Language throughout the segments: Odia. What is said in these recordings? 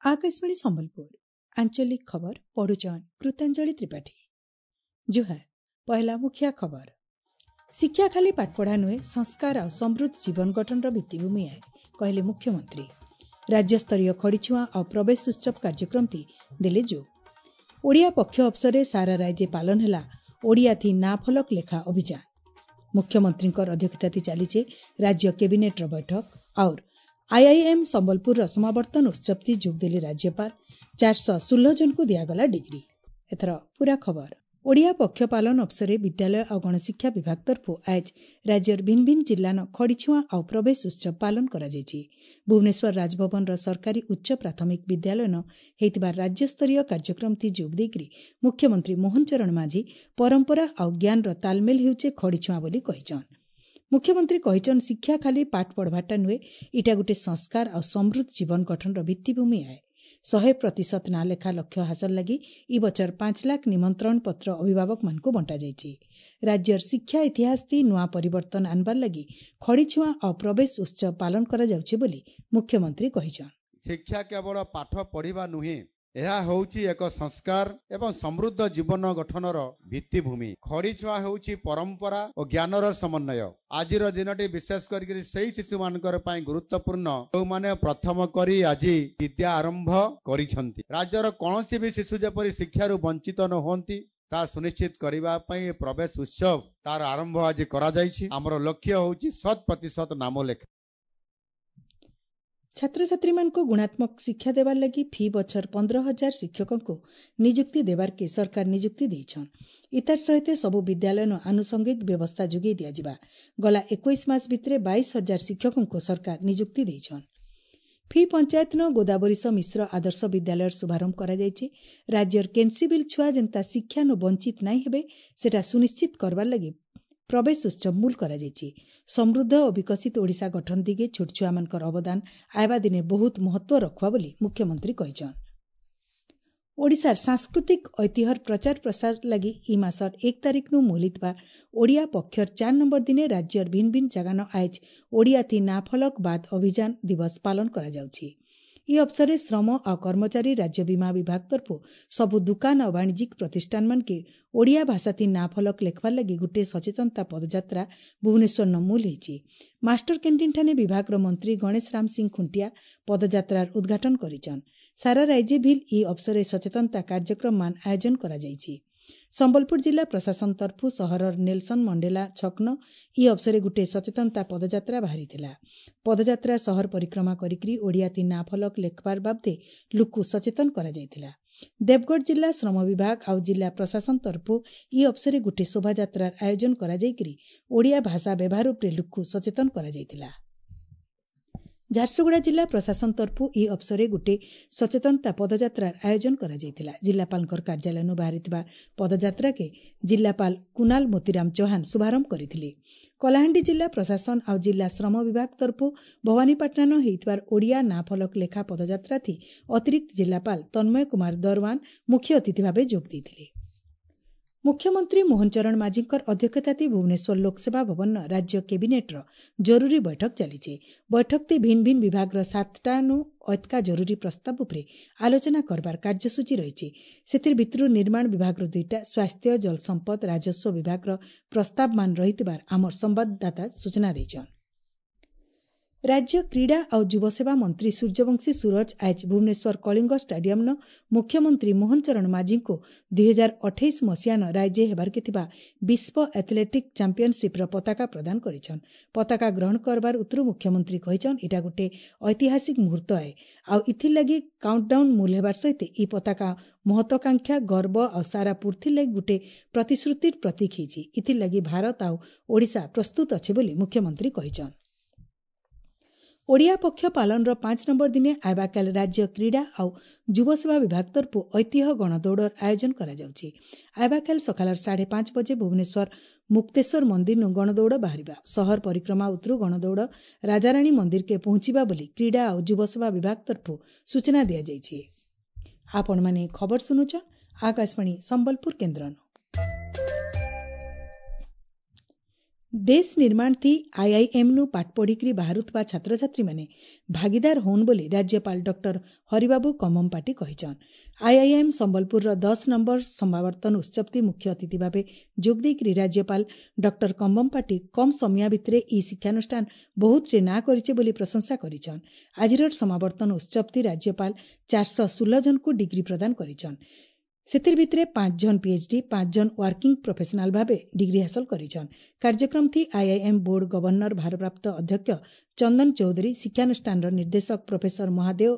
ଆକାଶବାଣୀ ସମ୍ବଲପୁର ଆଞ୍ଚଳିକ ଖବର ପଢୁଛନ୍ କୃତାଞ୍ଜଳି ତ୍ରିପାଠୀ। ଜୁହାର। ପହିଲା ମୁଖିଆ ଖବର। ଶିକ୍ଷା ଖାଲି ପାଠପଢ଼ା ନୁହେଁ, ସଂସ୍କାର ଆଉ ସମୃଦ୍ଧ ଜୀବନ ଗଠନର ଭିତ୍ତିଭୂମି ଆଏ, କହିଲେ ମୁଖ୍ୟମନ୍ତ୍ରୀ। ରାଜ୍ୟସ୍ତରୀୟ ଖଡ଼ିଛୁଆଁ ଆଉ ପ୍ରବେଶ ଉତ୍ସବ କାର୍ଯ୍ୟକ୍ରମଟି ଦେଲେ ଯୋଗ। ଓଡ଼ିଆ ପକ୍ଷ ଅବସରରେ ସାରା ରାଜ୍ୟେ ପାଳନ ହେଲା ଓଡ଼ିଆ ଥି ନା ଫଲକ ଲେଖା ଅଭିଯାନ। ମୁଖ୍ୟମନ୍ତ୍ରୀଙ୍କର ଅଧ୍ୟକ୍ଷତାତି ଚାଲିଛେ ରାଜ୍ୟ କ୍ୟାବିନେଟ୍ର ବୈଠକ। ଆଉର ଆଇଆଇଏମ୍ ସମ୍ବଲପୁରର ସମାବର୍ତ୍ତନ ଉତ୍ସବଟି ଯୋଗ ଦେଲେ ରାଜ୍ୟପାଳ। 416 ଜଣଙ୍କୁ ଦିଆଗଲା ଡିଗ୍ରୀ। ଏଥର ପୁରା ଖବର। ଓଡ଼ିଆ ପକ୍ଷ ପାଳନ ଅବସରରେ ବିଦ୍ୟାଳୟ ଆଉ ଗଣଶିକ୍ଷା ବିଭାଗ ତରଫରୁ ଆଜ ରାଜ୍ୟର ଭିନ୍ନ ଭିନ୍ନ ଜିଲ୍ଲାନ ଖଡ଼ିଛୁଆଁ ଆଉ ପ୍ରବେଶ ଉତ୍ସବ ପାଳନ କରାଯାଇଛି। ଭୁବନେଶ୍ୱର ରାଜଭବନର ସରକାରୀ ଉଚ୍ଚ ପ୍ରାଥମିକ ବିଦ୍ୟାଳୟନ ହେଇଥିବା ରାଜ୍ୟସ୍ତରୀୟ କାର୍ଯ୍ୟକ୍ରମଟି ଯୋଗ ଦେଇକରି ମୁଖ୍ୟମନ୍ତ୍ରୀ ମୋହନ ଚରଣ ମାଝୀ ପରମ୍ପରା ଆଉ ଜ୍ଞାନର ତାଲମେଲ ହେଉଛେ ଖଡ଼ିଛୁଆଁ ବୋଲି କହିଛନ୍। ମୁଖ୍ୟମନ୍ତ୍ରୀ କହିଛନ୍, ଶିକ୍ଷା ଖାଲି ପାଠ ପଢ଼ବାରଟା ନୁହେଁ, ଇଟା ଗୋଟେ ସଂସ୍କାର ଆଉ ସମୃଦ୍ଧ ଜୀବନ ଗଠନର ଭିତ୍ତିଭୂମି ଆଏ। 100% ନାଁ ଲେଖା ଲକ୍ଷ୍ୟ ହାସଲ ଲାଗି ଇ ବଛର 5 ଲାଖ ନିମନ୍ତ୍ରଣ ପତ୍ର ଅଭିଭାବକମାନଙ୍କୁ ବଣ୍ଟାଯାଇଛି। ରାଜ୍ୟର ଶିକ୍ଷା ଇତିହାସ ତି ନୂଆ ପରିବର୍ତ୍ତନ ଆନବାର ଲାଗି ଖଡ଼ିଛୁଆଁ ଆଉ ପ୍ରବେଶ ଉତ୍ସବ ପାଳନ କରାଯାଉଛି ବୋଲି ମୁଖ୍ୟମନ୍ତ୍ରୀ କହିଛନ୍। ଶିକ୍ଷା କେବଳ ପାଠ ପଢ଼ିବା ନୁହେଁ, ଏହା ହେଉଛି ଏକ ସଂସ୍କାର ଏବଂ ସମୃଦ୍ଧ ଜୀବନ ଗଠନର ଭିତ୍ତିଭୂମି। ଖଡ଼ିଛୁଆଁ ହେଉଛି ପରମ୍ପରା ଓ ଜ୍ଞାନର ସମନ୍ୱୟ। ଆଜିର ଦିନଟି ବିଶେଷ କରିକି ସେଇ ଶିଶୁମାନଙ୍କର ପାଇଁ ଗୁରୁତ୍ୱପୂର୍ଣ୍ଣ, ଯେଉଁମାନେ ପ୍ରଥମ କରି ଆଜି ବିଦ୍ୟା ଆରମ୍ଭ କରିଛନ୍ତି। ରାଜ୍ୟର କୌଣସି ବି ଶିଶୁ ଯେପରି ଶିକ୍ଷାରୁ ବଞ୍ଚିତ ନ ହୁଅନ୍ତି, ତାହା ସୁନିଶ୍ଚିତ କରିବା ପାଇଁ ପ୍ରବେଶ ଉତ୍ସବ ତାର ଆରମ୍ଭ ଆଜି କରାଯାଇଛି। ଆମର ଲକ୍ଷ୍ୟ ହେଉଛି 100% ନାମ ଲେଖା। ଛାତ୍ରଛାତ୍ରୀମାନଙ୍କୁ ଗୁଣାତ୍ମକ ଶିକ୍ଷା ଦେବାର ଲାଗି ଫି ବଛର 15,000 ଶିକ୍ଷକଙ୍କୁ ନିଯୁକ୍ତି ଦେବାର୍କେ ସରକାର ନିଯୁକ୍ତି ଦେଇଛନ୍। ଇତାର ସହିତ ସବୁ ବିଦ୍ୟାଳୟନ ଆନୁଷଙ୍ଗିକ ବ୍ୟବସ୍ଥା ଯୋଗାଇ ଦିଆଯିବା। ଗଲା 21 ମାସ ଭିତରେ 22,000 ଶିକ୍ଷକଙ୍କୁ ସରକାର ନିଯୁକ୍ତି ଦେଇଛନ୍। ଫି ପଞ୍ଚାୟତନ ଗୋଦାବରୀଶ ମିଶ୍ର ଆଦର୍ଶ ବିଦ୍ୟାଳୟର ଶୁଭାରମ୍ଭ କରାଯାଇଛି। ରାଜ୍ୟର କେନ୍ସି ବିଲ୍ ଛୁଆ ଯେନ୍ତା ଶିକ୍ଷାନୁ ବଞ୍ଚିତ ନାଇଁ ହେବେ, ସେଟା ସୁନିଶ୍ଚିତ କରବାର ଲାଗି ପ୍ରବେଶ ଉତ୍ସବ ମୂଲ କରାଯାଇଛି। ସମୃଦ୍ଧ ଓ ବିକଶିତ ଓଡ଼ିଶା ଗଠନ ଦିଗେ ଛୋଟ ଛୁଆମାନଙ୍କର ଅବଦାନ ଆଇବା ଦିନେ ବହୁତ ମହତ୍ୱ ରଖବା ବୋଲି ମୁଖ୍ୟମନ୍ତ୍ରୀ କହିଛନ୍। ଓଡ଼ିଶାର ସାଂସ୍କୃତିକ ଐତିହ୍ୟର ପ୍ରଚାର ପ୍ରସାର ଲାଗି ଇ ମାସର 1 ତାରିଖନୁ ମୂଲିଥିବା ଓଡ଼ିଆ ପକ୍ଷର 4 ନମ୍ବର ଦିନେ ରାଜ୍ୟର ଭିନ୍ନ ଭିନ୍ନ ଜାଗାନ ଆଇଜ ଓଡ଼ିଆ ଥି ନା ଫଲକ ବାଦ ଅଭିଯାନ ଦିବସ ପାଳନ କରାଯାଉଛି। ଇ ଅବସରରେ ଶ୍ରମ ଆଉ କର୍ମଚାରୀ ରାଜ୍ୟ ବୀମା ବିଭାଗ ତରଫରୁ ସବୁ ଦୁକାନ ଆଉ ବାଣିଜ୍ୟିକ ପ୍ରତିଷ୍ଠାନମାନକେ ଓଡ଼ିଆ ଭାଷାଥି ନା ଫଲକ ଲେଖବାର ଲାଗି ଗୋଟିଏ ସଚେତନତା ପଦଯାତ୍ରା ଭୁବନେଶ୍ୱର ମୂଲ ହେଇଛି। ମାଷ୍ଟର କ୍ୟାଣ୍ଟିନ୍ଠାନେ ବିଭାଗର ମନ୍ତ୍ରୀ ଗଣେଶ ରାମ ସିଂ ଖୁଣ୍ଟିଆ ପଦଯାତ୍ରାର ଉଦ୍ଘାଟନ କରିଛନ୍। ସାରା ରାଜ୍ୟ ଭିଲ୍ ଇ ଅବସରରେ ସଚେତନତା କାର୍ଯ୍ୟକ୍ରମମାନ ଆୟୋଜନ କରାଯାଇଛି। ସମ୍ବଲପୁର ଜିଲ୍ଲା ପ୍ରଶାସନ ତରଫରୁ ସହରର ନେଲସନ ମଣ୍ଡେଲା ଛକନ ଇ ଅବସରରେ ଗୋଟିଏ ସଚେତନତା ପଦଯାତ୍ରା ବାହାରିଥିଲା। ପଦଯାତ୍ରା ସହର ପରିକ୍ରମା କରିକି ଓଡ଼ିଆ ତି ନା ଫଲକ ଲେଖବାର ବାବଦେ ଲୁକୁ ସଚେତନ କରାଯାଇଥିଲା। ଦେବଗଡ଼ ଜିଲ୍ଲା ଶ୍ରମ ବିଭାଗ ଆଉ ଜିଲ୍ଲା ପ୍ରଶାସନ ତରଫରୁ ଇ ଅବସରରେ ଗୋଟିଏ ଶୋଭାଯାତ୍ରାର ଆୟୋଜନ କରାଯାଇକରି ଓଡ଼ିଆ ଭାଷା ବ୍ୟବହାର ଉପରେ ଲୁକୁ ସଚେତନ କରାଯାଇଥିଲା। ଝାରସୁଗୁଡ଼ା ଜିଲ୍ଲା ପ୍ରଶାସନ ତରଫରୁ ଇ ଅବସରରେ ଗୋଟିଏ ସଚେତନତା ପଦଯାତ୍ରାର ଆୟୋଜନ କରାଯାଇଥିଲା। ଜିଲ୍ଲାପାଳଙ୍କର କାର୍ଯ୍ୟାଳୟରୁ ବାହାରିଥିବା ପଦଯାତ୍ରାକେ ଜିଲ୍ଲାପାଳ କୁନାଲ ମୋତିରାମ ଚୌହାନ ଶୁଭାରମ୍ଭ କରିଥିଲେ। କଳାହାଣ୍ଡି ଜିଲ୍ଲା ପ୍ରଶାସନ ଆଉ ଜିଲ୍ଲା ଶ୍ରମ ବିଭାଗ ତରଫରୁ ଭବାନୀପାଟଣାନ ହେଇଥିବାର ଓଡ଼ିଆ ନା ଫଲକ ଲେଖା ପଦଯାତ୍ରାଥି ଅତିରିକ୍ତ ଜିଲ୍ଲାପାଳ ତନ୍ମୟ କୁମାର ଦରୱାନ ମୁଖ୍ୟ ଅତିଥି ଭାବେ ଯୋଗ ଦେଇଥିଲେ। ମୁଖ୍ୟମନ୍ତ୍ରୀ ମୋହନ ଚରଣ ମାଝୀଙ୍କର ଅଧ୍ୟକ୍ଷତାତି ଭୁବନେଶ୍ୱର ଲୋକସେବା ଭବନ ରାଜ୍ୟ କ୍ୟାବିନେଟ୍ର ଜରୁରୀ ବୈଠକ ଚାଲିଛି। ବୈଠକଟି ଭିନ୍ନ ଭିନ୍ନ ବିଭାଗର 7ଟାନୁ ଅତକା ଜରୁରୀ ପ୍ରସ୍ତାବ ଉପରେ ଆଲୋଚନା କରବାର କାର୍ଯ୍ୟସୂଚୀ ରହିଛି। ସେଥିର ଭିତରୁ ନିର୍ମାଣ ବିଭାଗର 2ଟା, ସ୍ୱାସ୍ଥ୍ୟ, ଜଳସମ୍ପଦ, ରାଜସ୍ୱ ବିଭାଗର ପ୍ରସ୍ତାବମାନ ରହିଥିବାର ଆମର ସମ୍ବାଦଦାତା ସୂଚନା ଦେଇଛନ୍। ରାଜ୍ୟ କ୍ରୀଡ଼ା ଆଉ ଯୁବସେବା ମନ୍ତ୍ରୀ ସୂର୍ଯ୍ୟବଂଶୀ ସୁରଜ ଆଜ ଭୁବନେଶ୍ୱର କଳିଙ୍ଗ ଷ୍ଟାଡିୟମ୍ନ ମୁଖ୍ୟମନ୍ତ୍ରୀ ମୋହନ ଚରଣ ମାଝୀଙ୍କୁ 2028 ମସିହାନ ରାଜ୍ୟ ହେବାର୍କେ ଥିବା ବିଶ୍ୱ ଆଥଲେଟିକ୍ ଚାମ୍ପିୟନସିପ୍ର ପତାକା ପ୍ରଦାନ କରିଛନ୍। ପତାକା ଗ୍ରହଣ କରବାର ଉତ୍ତରୁ ମୁଖ୍ୟମନ୍ତ୍ରୀ କହିଛନ୍, ଏଇଟା ଗୋଟେ ଐତିହାସିକ ମୁହୂର୍ତ୍ତ ଆଏ ଆଉ ଇଥିର୍ କାଉଣ୍ଟଡାଉନ୍ ମୂଲ ହେବାର ସହିତ ଇ ପତାକା ମହତ୍ୱାକାଂକ୍ଷା, ଗର୍ବ ଆଉ ସାରା ପୃଥିବୀ ଲାଗି ଗୋଟେ ପ୍ରତିଶ୍ରୁତିର ପ୍ରତୀକ ହେଇଛି। ଇଥିର୍ ଲାଗି ଭାରତ ଆଉ ଓଡ଼ିଶା ପ୍ରସ୍ତୁତ ଅଛି ବୋଲି ମୁଖ୍ୟମନ୍ତ୍ରୀ କହିଛନ୍। ଓଡ଼ିଆ ପକ୍ଷ ପାଳନର 5 ନମ୍ବର ଦିନେ ଆଇବାକାଲ ରାଜ୍ୟ କ୍ରୀଡ଼ା ଆଉ ଯୁବସେବା ବିଭାଗ ତରଫରୁ ଐତିହ୍ୟ ଗଣଦୌଡ଼ର ଆୟୋଜନ କରାଯାଉଛି। ଆଇବାକାଲ ସକାଳର 5:30 ବଜେ ଭୁବନେଶ୍ୱର ମୁକ୍ତେଶ୍ୱର ମନ୍ଦିରନୁ ଗଣଦୌଡ଼ ବାହାରିବା। ସହର ପରିକ୍ରମା ଉତ୍ତରୁ ଗଣଦୌଡ଼ ରାଜାରାଣୀ ମନ୍ଦିରକେ ପହଞ୍ଚିବା ବୋଲି କ୍ରୀଡ଼ା ଆଉ ଯୁବସେବା ବିଭାଗ ତରଫରୁ ସୂଚନା ଦିଆଯାଇଛି। ଆପଣମାନେ ଖବର ଶୁଣୁଛ ଆକାଶବାଣୀ ସମ୍ବଲପୁର କେନ୍ଦ୍ରନୁ। ଦେଶ ନିର୍ମାଣ ଥି ଆଇଆଇଏମ୍ ନୁ ପାଠ ପଢ଼ିକରି ବାହାରୁଥିବା ଛାତ୍ରଛାତ୍ରୀମାନେ ଭାଗିଦାର ହଉନ୍ ବୋଲି ରାଜ୍ୟପାଳ ଡକ୍ଟର ହରିବାବୁ କମ୍ଭମପାଟି କହିଛନ୍। ଆଇଆଇଏମ୍ ସମ୍ବଲପୁରର 10 ନମ୍ବର ସମାବର୍ତ୍ତନ ଉତ୍ସବତି ମୁଖ୍ୟ ଅତିଥି ଭାବେ ଯୋଗ ଦେଇକରି ରାଜ୍ୟପାଳ ଡକ୍ଟର କମ୍ଭମପାଟି କମ୍ ସମୟ ଭିତରେ ଇ ଶିକ୍ଷାନୁଷ୍ଠାନ ବହୁତରେ ନାଁ କରିଛେ ବୋଲି ପ୍ରଶଂସା କରିଛନ୍। ଆଜିର ସମାବର୍ତ୍ତନ ଉତ୍ସବତି ରାଜ୍ୟପାଳ 416 ଜଣଙ୍କୁ ଡିଗ୍ରୀ ପ୍ରଦାନ କରିଛନ୍। ସେଥିର୍ ଭିତରେ 5 ଜଣ ପିଏଚ୍ଡି, 5 ଜଣ ୱାର୍କିଂ ପ୍ରଫେସନାଲ ଭାବେ ଡିଗ୍ରୀ ହାସଲ କରିଛନ୍। କାର୍ଯ୍ୟକ୍ରମ ଥି ଆଇଆଇଏମ୍ ବୋର୍ଡ ଗଭର୍ଣ୍ଣର ଭାରପ୍ରାପ୍ତ ଅଧ୍ୟକ୍ଷ ଚନ୍ଦନ ଚୌଧୁରୀ, ଶିକ୍ଷାନୁଷ୍ଠାନର ନିର୍ଦ୍ଦେଶକ ପ୍ରଫେସର ମହାଦେବ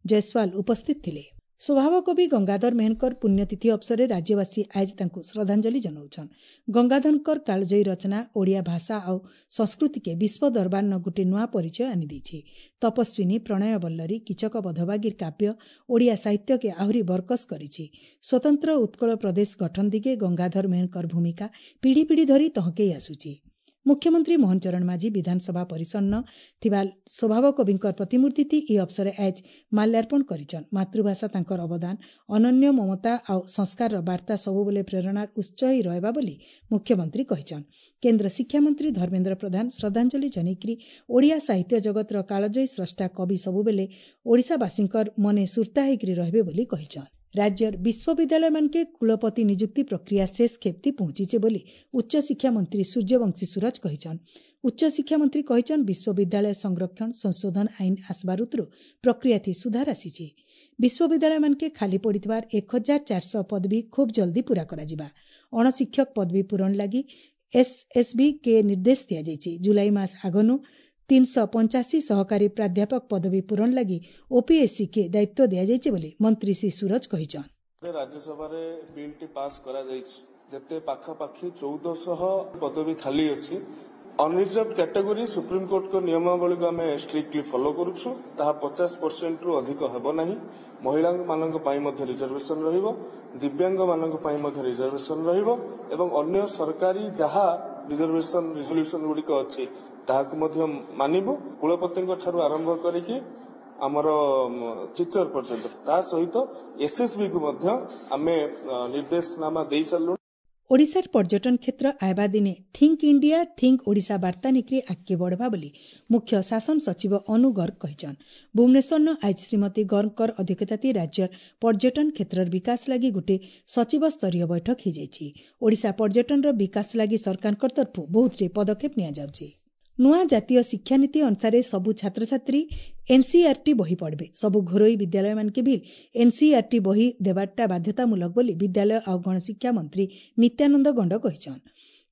ଜୟସ୍ୱାଲ ଉପସ୍ଥିତ ଥିଲେ। ସ୍ୱଭାବ କବି ଗଙ୍ଗାଧର ମେହେରଙ୍କର ପୁଣ୍ୟତିଥି ଅବସରରେ ରାଜ୍ୟବାସୀ ଆଜି ତାଙ୍କୁ ଶ୍ରଦ୍ଧାଞ୍ଜଳି ଜଣାଉଛନ୍। ଗଙ୍ଗାଧରଙ୍କର କାଳଜୟୀ ରଚନା ଓଡ଼ିଆ ଭାଷା ଆଉ ସଂସ୍କୃତିକେ ବିଶ୍ୱ ଦରବାରନ ଗୋଟିଏ ନୂଆ ପରିଚୟ ଆଣିଦେଇଛି। ତପସ୍ୱିନୀ, ପ୍ରଣୟ ବଲ୍ଲରୀ, କୀଚକ ବଧବାଗିର କାବ୍ୟ ଓଡ଼ିଆ ସାହିତ୍ୟକେ ଆହୁରି ବରକସ କରିଛି। ସ୍ୱତନ୍ତ୍ର ଉତ୍କଳ ପ୍ରଦେଶ ଗଠନ ଦିଗେ ଗଙ୍ଗାଧର ମେହେରଙ୍କର ଭୂମିକା ପିଢ଼ି ପିଢ଼ି ଧରି ତହକେଇ ଆସୁଛି। ମୁଖ୍ୟମନ୍ତ୍ରୀ ମୋହନ ଚରଣ ମାଝୀ ବିଧାନସଭା ପରିସନ୍ନ ଥିବା ସ୍ୱଭାବ କବିଙ୍କର ପ୍ରତିମୂର୍ତ୍ତି ଏହି ଅବସରରେ ଆଜ ମାଲ୍ୟାର୍ପଣ କରିଛନ୍। ମାତୃଭାଷା ତାଙ୍କର ଅବଦାନ, ଅନନ୍ୟ ମମତା ଆଉ ସଂସ୍କାରର ବାର୍ତ୍ତା ସବୁବେଳେ ପ୍ରେରଣାର ଉତ୍ସ ହୋଇ ରହିବା ବୋଲି ମୁଖ୍ୟମନ୍ତ୍ରୀ କହିଛନ୍। କେନ୍ଦ୍ର ଶିକ୍ଷାମନ୍ତ୍ରୀ ଧର୍ମେନ୍ଦ୍ର ପ୍ରଧାନ ଶ୍ରଦ୍ଧାଞ୍ଜଳି ଜଣାଇକରି ଓଡ଼ିଆ ସାହିତ୍ୟ ଜଗତର କାଳଜୟୀ ସ୍ରଷ୍ଟା କବି ସବୁବେଳେ ଓଡ଼ିଶାବାସୀଙ୍କର ମନେ ସୁର୍ତ୍ତା ହୋଇକରି ରହିବେ ବୋଲି କହିଛନ୍। ରାଜ୍ୟର ବିଶ୍ୱବିଦ୍ୟାଳୟମାନକେ କୁଳପତି ନିଯୁକ୍ତି ପ୍ରକ୍ରିୟା ଶେଷ ଖେପ୍ତି ପହଞ୍ଚିଛେ ବୋଲି ଉଚ୍ଚଶିକ୍ଷା ମନ୍ତ୍ରୀ ସୂର୍ଯ୍ୟବଂଶୀ ସୁରଜ କହିଛନ୍। ଉଚ୍ଚଶିକ୍ଷା ମନ୍ତ୍ରୀ କହିଛନ୍, ବିଶ୍ୱବିଦ୍ୟାଳୟ ସଂରକ୍ଷଣ ସଂଶୋଧନ ଆଇନ ଆସବାର ଉତରୁ ପ୍ରକ୍ରିୟାଥି ସୁଧାର ଆସିଛି। ବିଶ୍ୱବିଦ୍ୟାଳୟମାନକେ ଖାଲି ପଡ଼ିଥିବାର 1400 ପଦବୀ ଖୁବ୍ ଜଲ୍ଦି ପୂରା କରାଯିବା। ଅଣଶିକ୍ଷକ ପଦବୀ ପୂରଣ ଲାଗି ଏସ୍ଏସ୍ବି କେ ନିର୍ଦ୍ଦେଶ ଦିଆଯାଇଛି। ଜୁଲାଇ ମାସ ଆଗନୁ 385 ସହକାରୀ ପ୍ରାଧ୍ୟାପକ ପଦବୀ ପୂରଣ ଲାଗି ଓପିଏସ୍ସି କେ ଦାୟିତ୍ୱ ଦିଆଯାଇଛି ବୋଲି ମନ୍ତ୍ରୀ ଶ୍ରୀ ସୁରଜ କହିଛନ୍। ରାଜ୍ୟସଭାରେ ବିଲ୍ଟି ପାସ୍ କରାଯାଇଛି, ଯେତେ ପାଖାପାଖି 1400 ପଦବୀ ଖାଲି ଅଛି। ଅନରିଜର୍ଭ କ୍ୟାଟେଗୋରୀ ସୁପ୍ରିମକୋର୍ଟଙ୍କ ନିୟମାବଳୀକୁ ଆମେ ଷ୍ଟ୍ରିକ୍ଟଲି ଫଲୋ କରୁଛୁ, ତାହା 50%ରୁ ଅଧିକ ହେବ ନାହିଁ। ମହିଳାମାନଙ୍କ ପାଇଁ ମଧ୍ୟ ରିଜର୍ଭେସନ ରହିବ, ଦିବ୍ୟାଙ୍ଗମାନଙ୍କ ପାଇଁ ମଧ୍ୟ ରିଜର୍ଭେସନ ରହିବ ଏବଂ ଅନ୍ୟ ସରକାରୀ ଯାହା ରିଜର୍ଭେସନ ରିଜଲ୍ୟୁସନ ଗୁଡ଼ିକ ଅଛି ତାହାକୁ ମଧ୍ୟ ମାନିବୁ। କୁଳପତିଙ୍କ ଠାରୁ ଆରମ୍ଭ କରିକି ଆମର ଟିଚର ପର୍ଯ୍ୟନ୍ତ, ତା ସହିତ ଏସ୍ଏସ୍ବି କୁ ମଧ୍ୟ ଆମେ ନିର୍ଦ୍ଦେଶନାମା ଦେଇ ସାରିଲୁଣି। ଓଡ଼ିଶାର ପର୍ଯ୍ୟଟନ କ୍ଷେତ୍ର ଆଇବା ଦିନେ ଥିଙ୍କ ଇଣ୍ଡିଆ ଥିଙ୍କ ଓଡ଼ିଶା ବାର୍ତ୍ତା ନେଇକରି ଆଗକେ ବଢ଼ବା ବୋଲି ମୁଖ୍ୟ ଶାସନ ସଚିବ ଅନୁ ଗର୍ଗ କହିଛନ୍। ଭୁବନେଶ୍ୱରନ ଆଜି ଶ୍ରୀମତୀ ଗର୍ଗଙ୍କର ଅଧ୍ୟକ୍ଷତାତି ରାଜ୍ୟର ପର୍ଯ୍ୟଟନ କ୍ଷେତ୍ରର ବିକାଶ ଲାଗି ଗୋଟିଏ ସଚିବ ସ୍ତରୀୟ ବୈଠକ ହୋଇଯାଇଛି। ଓଡ଼ିଶା ପର୍ଯ୍ୟଟନର ବିକାଶ ଲାଗି ସରକାରଙ୍କ ତରଫରୁ ବହୁତଟି ପଦକ୍ଷେପ ନିଆଯାଉଛି। ନୂଆ ଜାତୀୟ ଶିକ୍ଷାନୀତି ଅନୁସାରେ ସବୁ ଛାତ୍ରଛାତ୍ରୀ ଏନ୍ସିଇଆର୍ଟି ବହି ପଢ଼ବେ। ସବୁ ଘରୋଇ ବିଦ୍ୟାଳୟମାନକେ ବି ଏନ୍ସିଇଆର୍ଟି ବହି ଦେବାରଟା ବାଧ୍ୟତାମୂଳକ ବୋଲି ବିଦ୍ୟାଳୟ ଆଉ ଗଣଶିକ୍ଷା ମନ୍ତ୍ରୀ ନିତ୍ୟାନନ୍ଦ ଗଣ୍ଡ କହିଛନ୍।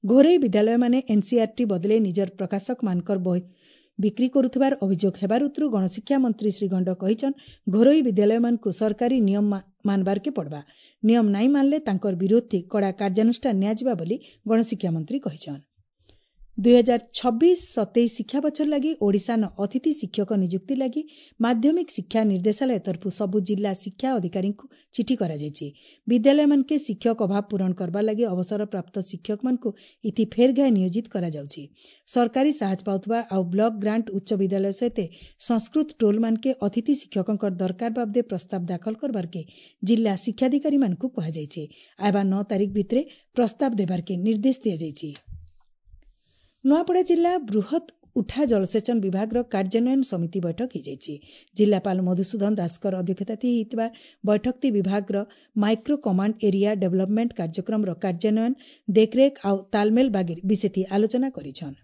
ଘରୋଇ ବିଦ୍ୟାଳୟମାନେ ଏନ୍ସିଇଆର୍ଟି ବଦଲେ ନିଜର ପ୍ରକାଶକମାନଙ୍କର ବହି ବିକ୍ରି କରୁଥିବାର ଅଭିଯୋଗ ହେବାର ଉତରୁ ଗଣଶିକ୍ଷା ମନ୍ତ୍ରୀ ଶ୍ରୀ ଗଣ୍ଡ କହିଛନ୍, ଘରୋଇ ବିଦ୍ୟାଳୟମାନଙ୍କୁ ସରକାରୀ ନିୟମ ମାନବାରକେ ପଡ଼ବା। ନିୟମ ନାଇଁ ମାନଲେ ତାଙ୍କର ବିରୋଧୀ କଡ଼ା କାର୍ଯ୍ୟାନୁଷ୍ଠାନ ନିଆଯିବା ବୋଲି ଗଣଶିକ୍ଷା ମନ୍ତ୍ରୀ କହିଛନ୍। 2026-27 ଶିକ୍ଷା ବଛର ଲାଗି ଓଡ଼ିଶାନ ଅତିଥି ଶିକ୍ଷକ ନିଯୁକ୍ତି ଲାଗି ମାଧ୍ୟମିକ ଶିକ୍ଷା ନିର୍ଦ୍ଦେଶାଳୟ ତରଫରୁ ସବୁ ଜିଲ୍ଲା ଶିକ୍ଷା ଅଧିକାରୀଙ୍କୁ ଚିଠି କରାଯାଇଛି। ବିଦ୍ୟାଳୟମାନକେ ଶିକ୍ଷକ ଅଭାବ ପୂରଣ କରବା ଲାଗି ଅବସରପ୍ରାପ୍ତ ଶିକ୍ଷକମାନଙ୍କୁ ଇଥି ଫେର୍ ଘାଏ ନିୟୋଜିତ କରାଯାଉଛି। ସରକାରୀ ସାହାଯ୍ୟ ପାଉଥିବା ଆଉ ବ୍ଲକ ଗ୍ରାଣ୍ଟ ଉଚ୍ଚ ବିଦ୍ୟାଳୟ ସହିତ ସଂସ୍କୃତ ଟୋଲମାନକେ ଅତିଥି ଶିକ୍ଷକଙ୍କର ଦରକାର ବାବଦେ ପ୍ରସ୍ତାବ ଦାଖଲ କରବାରକେ ଜିଲ୍ଲା ଶିକ୍ଷାଧିକାରୀମାନଙ୍କୁ କୁହାଯାଇଛି। ଆଇବା 9 ତାରିଖ ଭିତରେ ପ୍ରସ୍ତାବ ଦେବାରକେ ନିର୍ଦ୍ଦେଶ ଦିଆଯାଇଛି। ନୂଆପଡ଼ା ଜିଲ୍ଲା ବୃହତ୍ ଉଠା ଜଳସେଚନ ବିଭାଗର କାର୍ଯ୍ୟାନ୍ୱୟନ ସମିତି ବୈଠକ ହୋଇଯାଇଛି। ଜିଲ୍ଲାପାଳ ମଧୁସୂଦନ ଦାସଙ୍କର ଅଧ୍ୟକ୍ଷତାରେ ହୋଇଥିବା ବୈଠକଟି ବିଭାଗର ମାଇକ୍ରୋ କମାଣ୍ଡ ଏରିଆ ଡେଭଲପମେଣ୍ଟ କାର୍ଯ୍ୟକ୍ରମର କାର୍ଯ୍ୟାନ୍ୱୟନ ଦେଖରେଖ ଆଉ ତାଲମେଲ ବାଗିର ବିଶେଷ ଆଲୋଚନା କରିଛନ୍।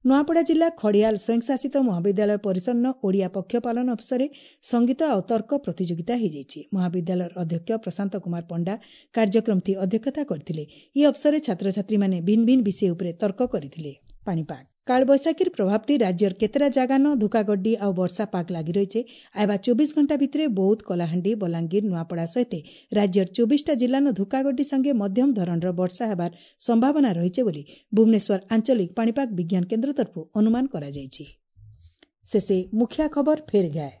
ନୂଆପଡ଼ା ଜିଲ୍ଲା ଖଡ଼ିଆଲ ସ୍ୱୟଂଶାସିତ ମହାବିଦ୍ୟାଳୟ ପରିସରନ ଓଡ଼ିଆ ପକ୍ଷ ପାଳନ ଅବସରରେ ସଙ୍ଗୀତ ଆଉ ତର୍କ ପ୍ରତିଯୋଗିତା ହୋଇଯାଇଛି। ମହାବିଦ୍ୟାଳୟର ଅଧ୍ୟକ୍ଷ ପ୍ରଶାନ୍ତ କୁମାର ପଣ୍ଡା କାର୍ଯ୍ୟକ୍ରମଟି ଅଧ୍ୟକ୍ଷତା କରିଥିଲେ। ଏହି ଅବସରରେ ଛାତ୍ରଛାତ୍ରୀମାନେ ଭିନ୍ନ ଭିନ୍ନ ବିଷୟ ଉପରେ ତର୍କ କରିଥିଲେ। ପାଣିପାଗ, କାଳବୈଶାଖୀର ପ୍ରଭାବତି ରାଜ୍ୟର କେତେଟା ଜାଗାନ ଧୁକାଗଡ୍ଡି ଆଉ ବର୍ଷା ପାଗ ଲାଗି ରହିছে। ଆଇବା 24 ଘଣ୍ଟା ଭିତରେ ବୌଦ୍ଧ, କଳାହାଣ୍ଡି, ବଲାଙ୍ଗୀର, ନୂଆପଡ଼ା ସହିତ ରାଜ୍ୟର 24ଟା ଜିଲ୍ଲାନ ଧୁକାଗଡ୍ଡି ସଙ୍ଗେ ମଧ୍ୟମ ଧରଣର ବର୍ଷା ହେବାର ସମ୍ଭାବନା ରହିছে ବୋଲି ଭୁବନେଶ୍ୱର ଆଞ୍ଚଳିକ ପାଣିପାଗ ବିଜ୍ଞାନ କେନ୍ଦ୍ର ତରଫରୁ ଅନୁମାନ କରାଯାଇଛି। ଶେଷେ ମୁଖିଆ ଖବର ଫେର ଗାଏ।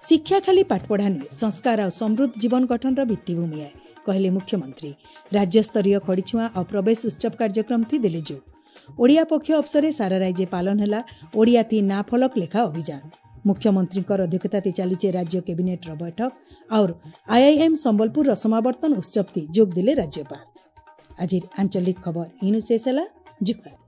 ଶିକ୍ଷା ଖାଲି ପାଠପଢ଼ା ନୁହେଁ, ସଂସ୍କାର ଆଉ ସମୃଦ୍ଧ ଜୀବନ ଗଠନର ଭିତ୍ତିଭୂମି ଆଏ, କହିଲେ ମୁଖ୍ୟମନ୍ତ୍ରୀ। ରାଜ୍ୟସ୍ତରୀୟ ଖଡ଼ିଛୁଆଁ ଆଉ ପ୍ରବେଶ ଉତ୍ସବ କାର୍ଯ୍ୟକ୍ରମ ଥି ଦେଲେ ଯୋଗ। ଓଡ଼ିଆ ପକ୍ଷ ଅବସରରେ ସାରା ରାଜ୍ୟ ପାଳନ ହେଲା ଓଡ଼ିଆ ଥି ନା ଫଳକ ଲେଖା ଅଭିଯାନ। ମୁଖ୍ୟମନ୍ତ୍ରୀଙ୍କର ଅଧ୍ୟକ୍ଷତାରେ ଚାଲିଛି ରାଜ୍ୟ କ୍ୟାବିନେଟ୍ର ବୈଠକ। ଆଉ ଆଇଆଇଏମ୍ ସମ୍ବଲପୁରର ସମାବର୍ତ୍ତନ ଉତ୍ସବଟି ଯୋଗ ଦେଲେ ରାଜ୍ୟପାଳ। ଆଜିର ଆଞ୍ଚଳିକ ଖବର ଇନୁ ଶେଷ ହେଲା। ଜୁହାର।